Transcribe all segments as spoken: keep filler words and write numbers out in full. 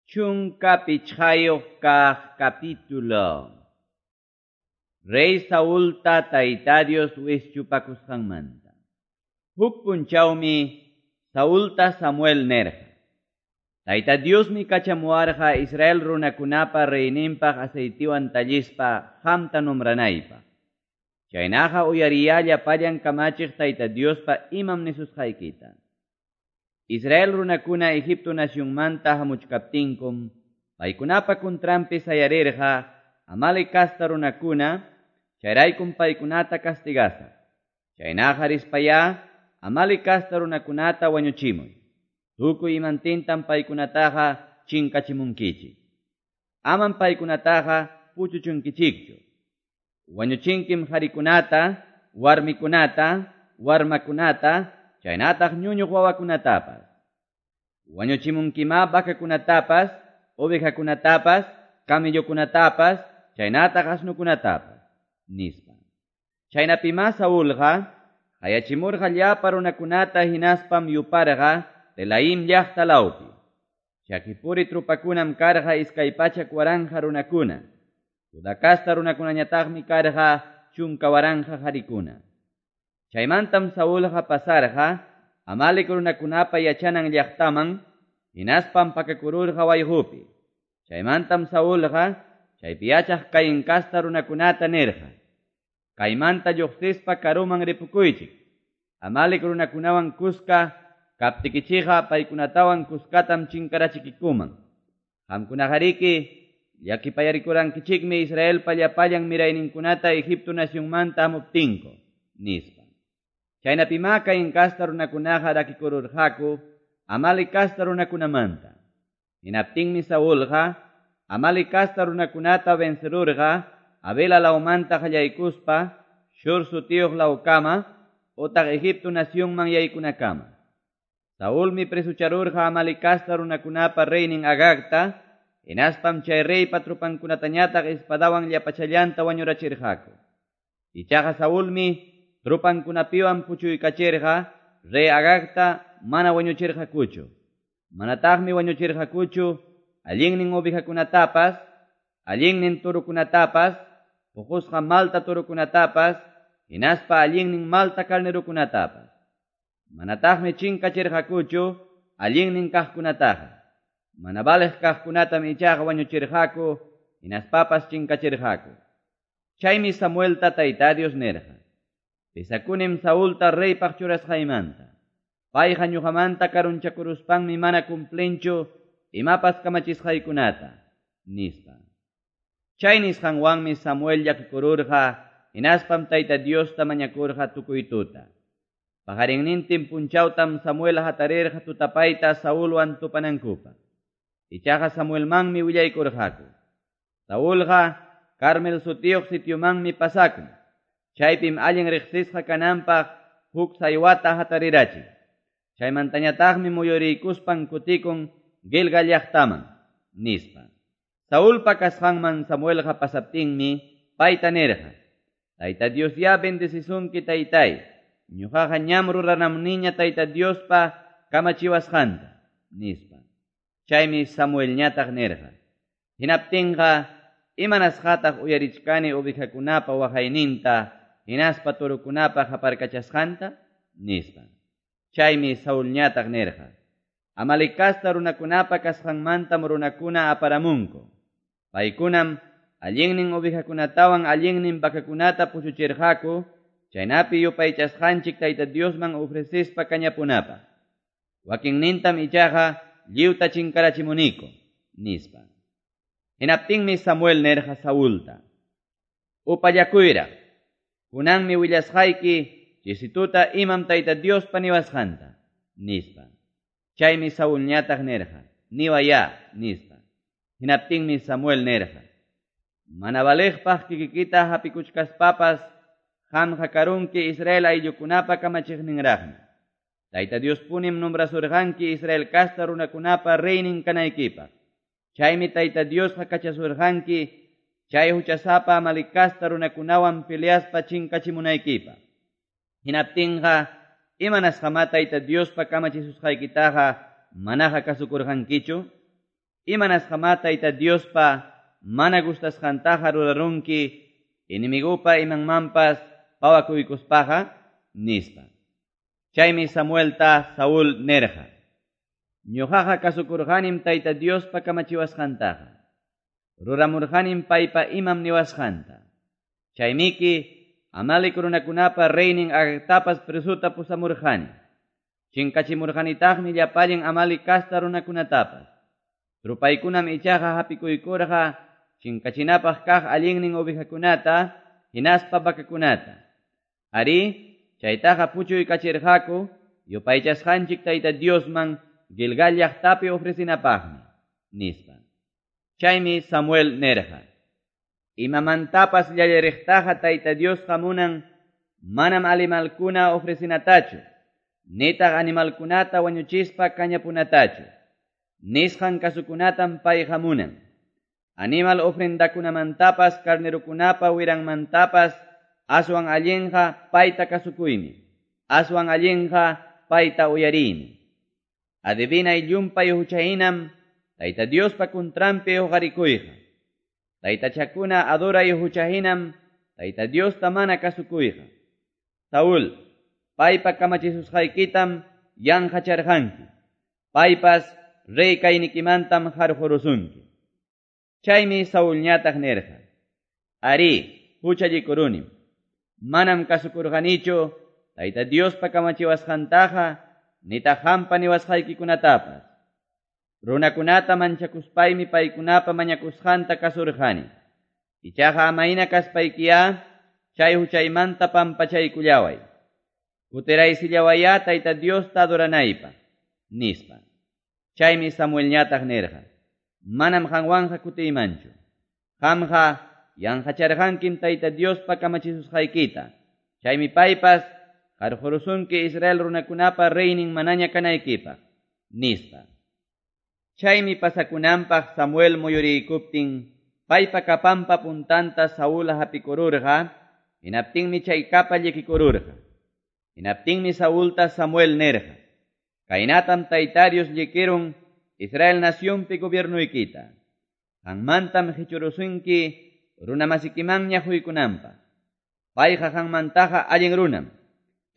Chunka pichqayuq kaq capítulo. Rey Saulta Tayta Dios wischupakusqanmanta. Huk punchawmi Saulta Samuel nerqa. Tayta Diosmi kachamuwarqa Israel runakunapa reyninpaq aceitiwan tallispa qamta nombranaypaq. Chaynaqa uyariyalla pallan kamachiq Tayta Diospa imam nisusqaykita. Israel runakuna Egipto nacionmanta hamuchkaptinkum, paykunapa kuntranpi sayarirqa Amalek kasta runakuna, chayraykum paykunata castigasaq. Chaynaqa rispayá Amalek kasta runakunata wañuchimuy. Tukuy imantintam paykunataqa chinkachimunkichik. Amam paykunataqa puchuchunkichikchu. Wañuchinkim qharikunata, warmikunata, warmakunata, chaynataq ñuñuq wawakunatapas. Wañuchimunkimá vacakunatapas, ovejakunatapas, camellokunatapas, chaynataq asnukunatapas, nispa. Chaynapimá Saulqa qayachimurqa llapa runakunata hinaspam yuparqa Telaim llaqta lawpi. Chakipuri trupakunam karqa iskay pachak waranja runakuna. Judá kasta runakunañataqmi karqa chunka waranja qarikuna. Chaymantam Saulqa pasarqa Amalek runakunapa yachanan llaqtaman, hinaspam pakakururqa wayqupi. Chaymantam Saulqa chaypi yachaq Caín kasta runakunata nirqa: Kaymanta lluqsispa karuman ripukuychik. Amalek runakunawan kuska kaptikichikqa paykunatawan kuskatam chinkarachikikuman. Qamkunaqariki llakipayarikurankichikmi Israelpa llapallan mirayninkunata Egipto nacionmanta hamuptinku, nispa. Chaynapimá Caín kasta runakunaqa rakikururqaku Amalek kasta runakunamanta. Hinaptinmi Saulqa Amalek kasta runakunata vencerurqa Havila lawmanta qallaykuspa Shur sutiyuq lawkama utaq Egipto nacionman yaykunakama. Saulmi presucharurqa Amalek kasta runakunapa reynin Agagta, hinaspam chay reypa trupankunatañataq espadawan llapachallanta wañurachirqaku. Ichaqa Saulmi trupankunapiwan puchuykachirqa rey Agagta mana wañuchirqakuchu. Manataqmi wañuchirqakuchu allinnin ovejakunatapas, allinnin turukunatapas, puqusqa malta turukunatapas, hinaspa allinnin malta carnerukunatapas. Manataqmi chinkachirqakuchu allinnin kaqkunataqa. Mana valeq kaqkunatam ichaqa wañuchirqaku, hinaspapas chinkachirqaku. Chaymi Samuelta Tayta Dios nirqa: Pesakunim Saulta reypaq churasqaymanta. Payqa ñuqamanta karunchakuruspanmi mana cumplinchu imapas kamachisqaykunata, nispa. Chay nisqanwanmi Samuel llakikururqa, hinaspam Tayta Diosta mañakurqa tukuy tuta. Paqarinnintin punchawtam Samuel hatarirqa tutapayta Saulwan tupanankupaq. Ichaqa Samuelmanmi willaykurqaku. Saulqa Carmel sutiyuq sitiomanmi pasakun. Chaypim allin riqsisqa kananpaq huk saywata hatarirachin. Chaymantañataqmi muyuriykuspan kutikun Gilgal llaqtaman, nispa. Saulpa kasqanman Samuelqa pasaptinmi payta nirqa: Tayta Dios ya bendecisunki taytay. Ñuqaqa ñam ruranamniña Tayta Diospa kamachiwasqanta, nispa. Chaymi Samuelñataq nirqa: Hinaptinqa imanasqataq uyarichkani ovejakunapa waqayninta hinaspa turukunapa qaparkachasqanta, nispa. Chaymi Saulñataq nirqa: Amalek kasta runakunapa kasqanmantam runakuna aparamunku. Paykunam allinnin ovejakunatawan allinnin vacakunata puchuchirqaku, chaynapi yupaychasqanchik Tayta Diosman ofrecispa kañapunapaq. Wakinnintam ichaqa lliwta chinkarachimuniku, nispa. Hinaptinmi Samuel nirqa Saulta: Upallakuyraq, kunanmi willasqayki chisituta imam Tayta Diospa niwasqanta, nispa. Chaymi Saulñataq nirqa: Niwayá, nispa. Hinaptinmi Samuel nirqa: Mana valeqpaq kikikita hapikuchkaspapas qamqa karunki Israel ayllukunapa kamachiqninraqmi. Tayta Diospunim nombrasurqanki Israel kasta runakunapa reynin kanaykipaq. Chaymi Tayta Diosqa kachasurqanki chay huchasapa Amalek kasta runakunawan peleaspa chinkachimunaykipaq. Hinaptinqa imanasqamá Tayta Diospa kamachisusqaykitaqa manaqa kasukurqankichu? Imanasqamá Tayta Diospa mana gustasqantaqa rurarunki enemigopa imanmanpas pawakuykuspaqa? Nispa. Chaymi Samuelta Saúl nirqa: Ñuqaqa kasukurqanim Tayta Diospa kamachiwasqantaqa. Ruramurqanim paypa imam niwasqanta. Chaymiki Amalec runakunapa reynin Agagtapas presuta pusamurqani. Chinkachimurqanitaqmi llapallan Amalec casta runakunatapas. Trupaykunam ichaqa hapikuykurqa chinkachinapaq kaq allinnin ovejakunata hinaspa vacakunata. Arí, chaytaqa puchuykachirqaku yupaychasqanchik Tayta Diosman Gilgal llaqtapi ofrecinapaqmi, nispa. Chaymi Samuel nirqa: Imamantapas llallariqtaqa Tayta Diosqa munan manam animalkuna ofrecinatachu, nitaq animalkunata wañuchispa kañapunatachu. Nisqan kasukunatam payqa munan. Animal ofrendakunamantapas carnerokunapa wiranmantapas aswan allinqa payta kasukuymi, aswan allinqa payta uyariymi. Adivinay llumpay huchahinam Tayta Diospa kuntranpi huqarikuyqa. Taytachakuna adoray huchahinam Tayta Diosta mana kasukuyqa. Saúl, paypa kamachisusqaykitam yanqacharqanki. Paypas rey kaynikimantam harqurusunki. Chaymi Saulñataq nirqa: Arí, huchallikurunim. Manam kasukurqanichu Tayta Diospa kamachiwasqantaqa nitaq qampa niwasqaykikunatapas. Runakunata manchakuspaymi paykunapa mañakusqanta kasurqani. Ichaqa amayna kaspaykiyá chay huchaymanta pampachaykullaway. Kutiraysillawayá Tayta Diosta adoranaypaq, nispa. Chaymi Samuelñataq nirqa: Manam qanwanqa kutiymanchu. Qamqa yanqacharqankim Tayta Diospa kamachisusqaykita. Chaymi paypas qarqurusunki Israel runakunapa reynin manaña kanaykipaq, nispa. Chaymi pasakunanpaq Samuel muyuriykuptin paypa kapanpa puntanta Saúl hapikururqa, hinaptinmi chay kapa llikikururqa. Hinaptinmi Saulta Samuel nirqa: Kaynatam Tayta Dios llikirun Israel nacionpi gobiernuykita. Qanmantam qichurusunki runamasikimanña huykunanpaq. Payqa qanmantaqa allin runam.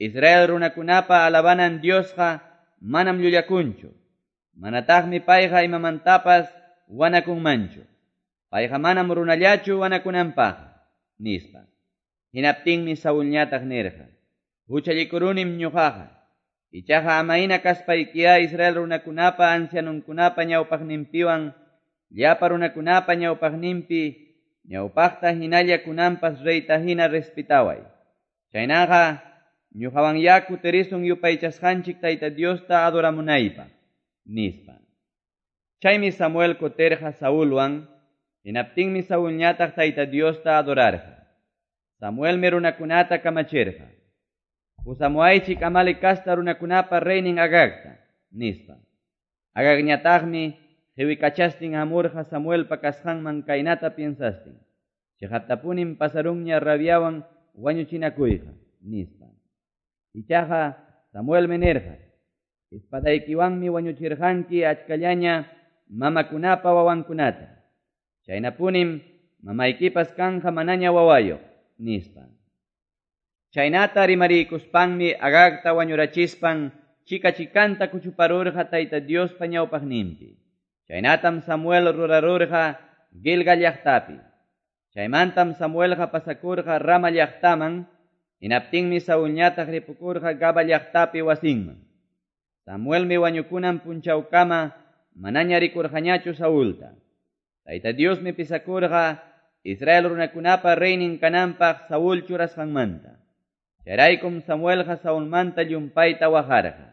Israel runakunapa alabanan Diosqa manam llullakunchu. Manataqmi payqa imamantapas wanakunmanchu. Payqa manam runallachu wanakunanpaq, nispa. Hinaptinmi Saulñataq nirqa: Huchallikurunim ñuqaqa. Ichaqa amayna kaspaykiyá Israel runakunapa ancianunkunapa ñawpaqninpiwan llapa runakunapa ñawpaqninpi ñawpaqta hinalla kunanpas reyta hina respetaway. Chaynaqa ñuqawanyá kutirisun yupaychasqanchik Tayta Diosta adoramunaypaq, nispa. Chaymi Samuel kutirqa Saulwan, hinaptinmi Saulñataq Tayta Diosta adorarqa. Samuelmi runakunata kamachirqa: Pusamuaychik Amalec casta runakunapa reynin Agagta, nispa. Agagñataqmi qiwikachastin hamurqa Samuelpa kasqanman kaynata piensastin: Chiqaptapunim pasarunña rabiawan wañuchinakuyqa, nispa. Ichaqa Samuelmi nirqa: Espadaykiwanmi wañuchirqanki achkallaña mamakunapa wawankunata. Chaynapunim mamaykipas kanja manaña wawayuq, nispa. Chaynata rimariykuspanmi Agagta wañurachispan chika chikanta kuchuparurqa Tayta Diospa ñawpaqninpi. Chaynatam Samuel rurarurqa Gilgal llaqtapi. Chaymantam Samuelqa pasakurqa Rama llaqtaman, hinaptinmi Saulñataq ripukurqa Gaba llaqtapi wasinman. Samuelmi wañukunan punchawkama manaña rikurqañachu Saulta. Tayta Diosmi pisakurqa Israel runakunapa reynin kananpaq Saúl churasqanmanta. Chayraykum Samuelqa Saulmanta llumpayta waqarqa.